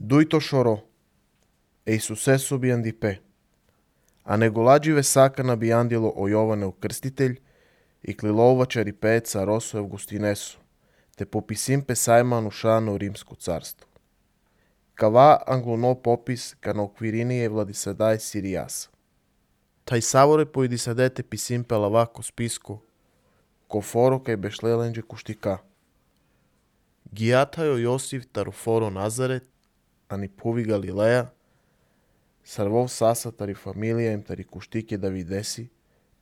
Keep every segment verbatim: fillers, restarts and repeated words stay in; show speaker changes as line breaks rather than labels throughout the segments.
Duito chorou. E sucesso biandipé. A negolađive sakana biandilo o Jovane Ukrstitelj i klilova čaripé carosu Evgustinesu, te popisim pe sajmanu šanu Rimsku carstvu. Kava anglono popis ka na okvirinije Vladisadaj Siriasa. Taj savore pojedisadete pisim pe lavako spisku, ko foro kaj bešlelenđe kuštika. Gijatajo Josif taruforo Nazaret, ani puvi Galileja, sarvov sasa tari familija im tari kuštike Davidesi,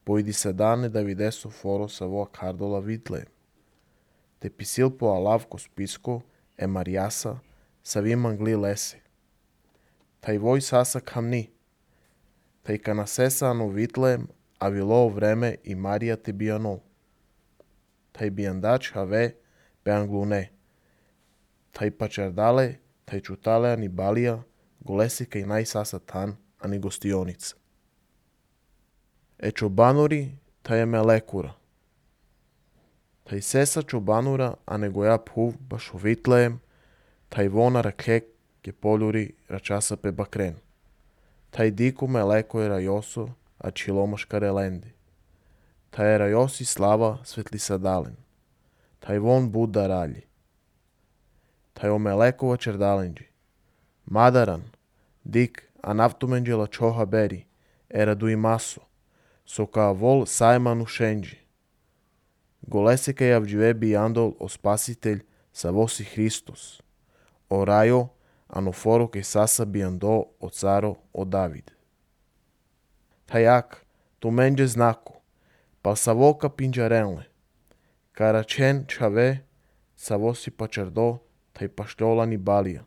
pojedisadane Davidesu foro savo kardola Vitlejem. Te pisil po alavko spisko, e Mariasa, savim angli lese. Taj voj sasa kamni, taj kanasesa anu Vitlejem, a vilo vreme i Marija te bijanol. Taj bijandač have pe anglune. Taj pačardale, taj čutale ani balija, golesi kaj naj sasa tan ani gostionicë. E çobanuri taj e melekura. Taj sesa çobanura a negoja phuv baš u Vitlejem, taj vona raklek ke poljuri račasa pe bakren. Taj diku meleko je rajoso, a čilomaška relendi. Taj je rajosi slava svetlisadalen. Taj von Buda ralji. Taj o melekova čerdalenđi. Madaran, dik, a naftumenđela čoha beri, era du imaso, so ka vol sajmanu šenđi. Golese kaj avđive bijandol o spasitelj sa vosi Hristos, o rajo, anoforo kaj sasa bijando o caro o David. Tajak, tu menđe znaku, pal sa voka pinđarenle, karačen čave, sa vosi pačardo, taj pašljola ni balija.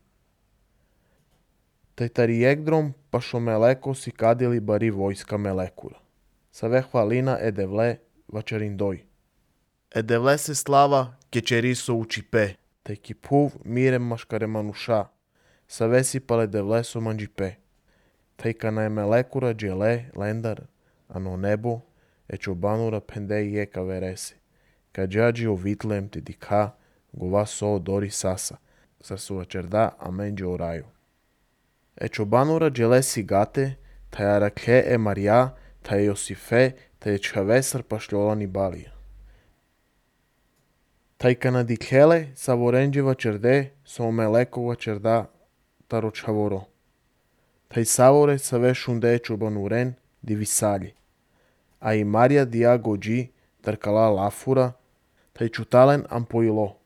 Taj tari jegdrom pašo meleko si kadili bari vojska melekura. Save hvalina edevle vačarindoj. Edevle se slava kečeriso učipe, taj ki puv mirem maškare manuša, save si pale devle so manđipe. Taj kana je melekura džele lendar, ano nebo, e čobanura pendej jeka veresi, ka džađi o Vitlem te dika, gova so dori sasa, sar su vačerda a menđe o raju. E çobanura dželesi gate, taj arakhe e Marija, taj Josife, taj čavesar pašljola ni balija. Taj kana dikhele sa vorenđeva čerde, so melekova čerda taro čavoro. Taj savore sa ve šunde čobanuren di visalji. A i Marija dia gođi tarkala lafura, taj čutalen ampojilo.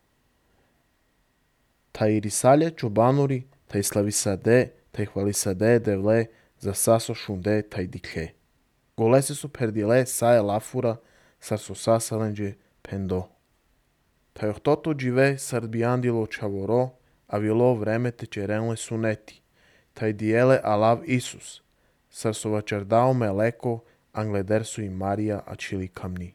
Taj risalje čobanuri, taj slavisade, taj hvalisade devle za saso šunde taj dikhe. Golese su perdile saje lafura, sar su sasalenđe pendo. Taj ohtoto džive sar bijandilo čavoro, a vilo vreme te čerenle suneti. Taj dijele alav Isus, sar su vačardao meleko, angleder su i Marija a čili kamni.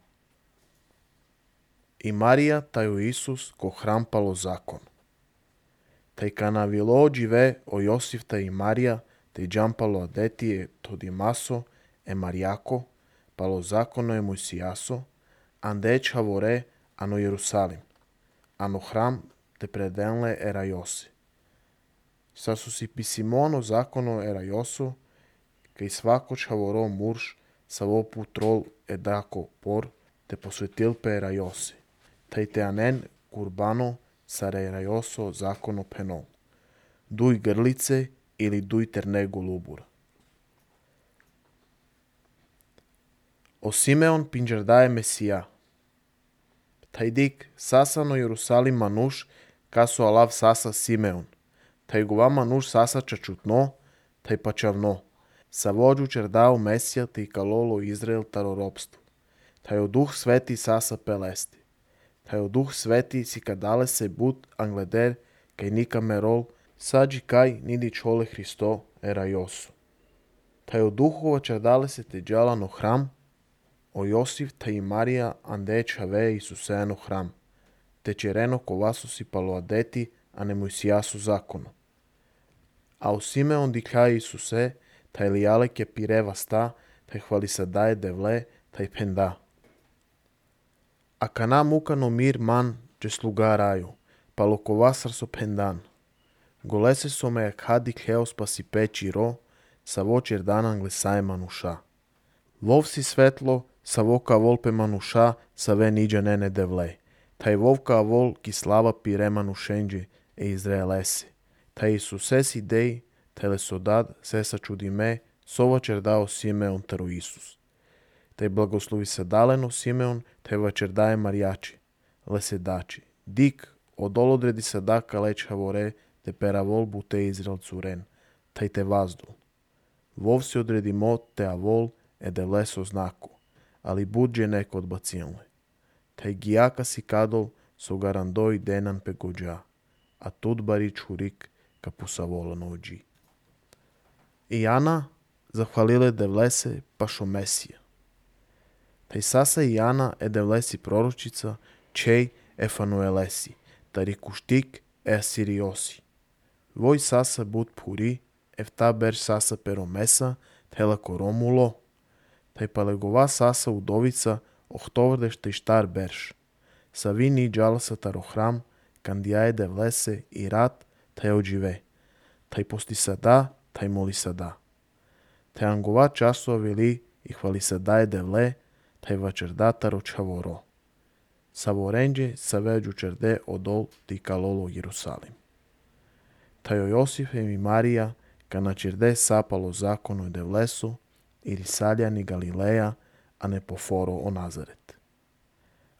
I Marija taju Isus ko hrampalo zakon. Taj kana vilo džive o Josif taj i Marija, taj džampalo adetije to dimaso, e Marijako, palo zakono e Mojsijaso, ande čavore ano Jerusalim, ano hram te predenle era Jose. Sa su si pisimono zakono era Joso, kaj svako čavoro murš sa vo putrol e dako por, te posvetil pe era Jose, taj te anen kurbano sare era Joso zakono penol, duj grlice ili duj ternegu lubura. O Simeon pinđardaje Mesija. Taj dik sasano Jerusalim manuš kaso alav sasa Simeon. Taj gova manuš sasa čačutno, taj pačavno. Sa vođu čerdao Mesija te i kalolo Izrael taro ropstvu. Taj o duh sveti sasa pelesti. Taj o duh sveti si kadale se but angleder kaj nika merol sađi kaj nidi čole Hristo era Josu. Taj o duhova čerdale se te džalano hram, o Josif taj i Marija ande čave Isuseno hram, te čereno kovasu si palo adeti, a ne Mojsijasu zakono. A u Simeon dikaj Isuse, taj lijale ke pireva sta, taj hvalisadaje devle, taj penda. A kana mukano mir man, če sluga raju, palo kovasar so pendan. Голесе со ме хади хеос па си печи ро, са во черданан глесае мануша. Вов си светло, са вока волпе мануша, са ве ниđa нене девле. Тај вовка вол ки слава пире манушенđe е Израелесе. Тај Исусе си дей, теле содад, се са чуди ме, сова чердао Симеон таро Исус. Тај благослови се далено Симеон, тај вачердае Маријачи, леседачи. Дик, одол одреди садака леч хаворе, те перавол буте Израел цурен, тај те ваздол. Вов си одреди мот те авол, е девле со знаку, али будже неко одбацијанле. Тај гијака си кадол, со гарандој денан пе гоđа, а тут бари чурик ка пусавола ноđи. И Ана захвалиле девлесе па шо Месија. Тај саса и Ана е девлеси пророчица, чеј е Фануелеси, тари куштик е Асириоси. Вој саса буд пури, ефта берш саса перомеса, тела коромуло. Тај палегова саса удовица, охтоврдеш тај штар берш. Сави ни джаласа таро храм, кандијае девлесе и рад, тај оđиве. Тај пости сада, тај моли сада. Тај ангова часува вели и хвали садај девле, тај вачерда таро чаворо. Саворенđe са веđу черде одол ти калоло Јерусалим. Тај Јосиф еми Марија, ка на черде сапало законо девлесо, и Рисалјани Галилеја, а не пофоро о Назарет.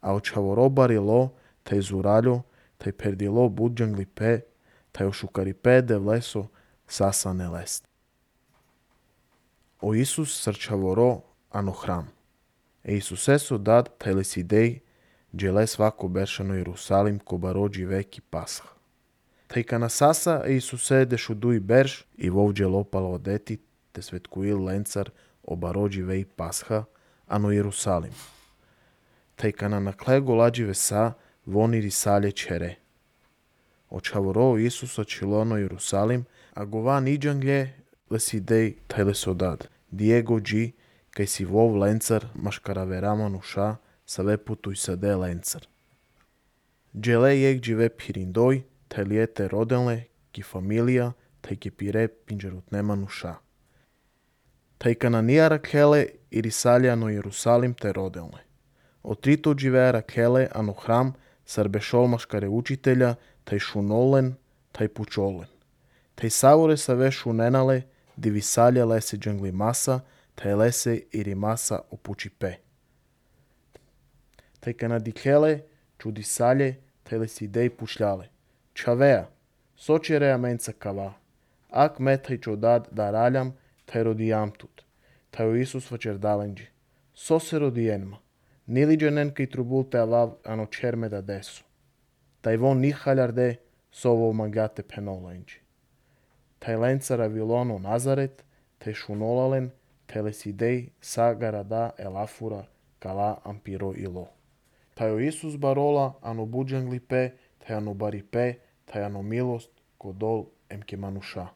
А о чаворо барило, тај зуралјо, тај пердило буđангли пе, тај ошукари пе девлесо, саса не лест. О Исус срчаворо, ано храм. Е Исусе со дад тај лесидеј, джеле свако бершано Јерусалим ко бароđи веки Пасха. Тај кана саса е Исусе дешудуи берш и вовđe лопало одети, те светкуил ленцар о бароđи веи Пасха, ано Јерусалим. Тај кана накле голадживе са, вони Рисалје чере. О чаворо Исуса чилоно Јерусалим, а гова ниđanglje лесидеј тај лесодад. Диего джи, кај си вов ленцар, машкаравера мануша, саве путуј саде ленцар. Джеле јек дживе пириндој, тај лиете роденле, ки фамилија, тај ке пире пинџерутне мануша. Тај кананија Ракеле и Рисалја ано Јерусалим те роделне. О трито дживеа Ракеле ано храм, сарбешол машкаре учителја, тај шунолен, тај пучолен. Тај саворе саве шуненале, дивисалја лесе джангли маса, тај лесе ири маса опучи пе. Тај канадикеле, чудисалје, тај лесидеј пушлјале. Чавеа, сочереа менца кава. Ак ме тај чодад да ралјам, тај родијам тут. Тај о Исус вачердаленџи. Со се родиенма. Нили дженен кај трубул те авав ано черме да десу. Тај вон нихалјарде, сово магате пеноленџи. Тај ленцара вилоно Назарет, тај шунолален, тај лесидеј са гарада елафура, кала ампиро ило. Тај о Исус барола, ано буđангли пе, тај ано бари пе, тај ано милост, кодол емке мануша.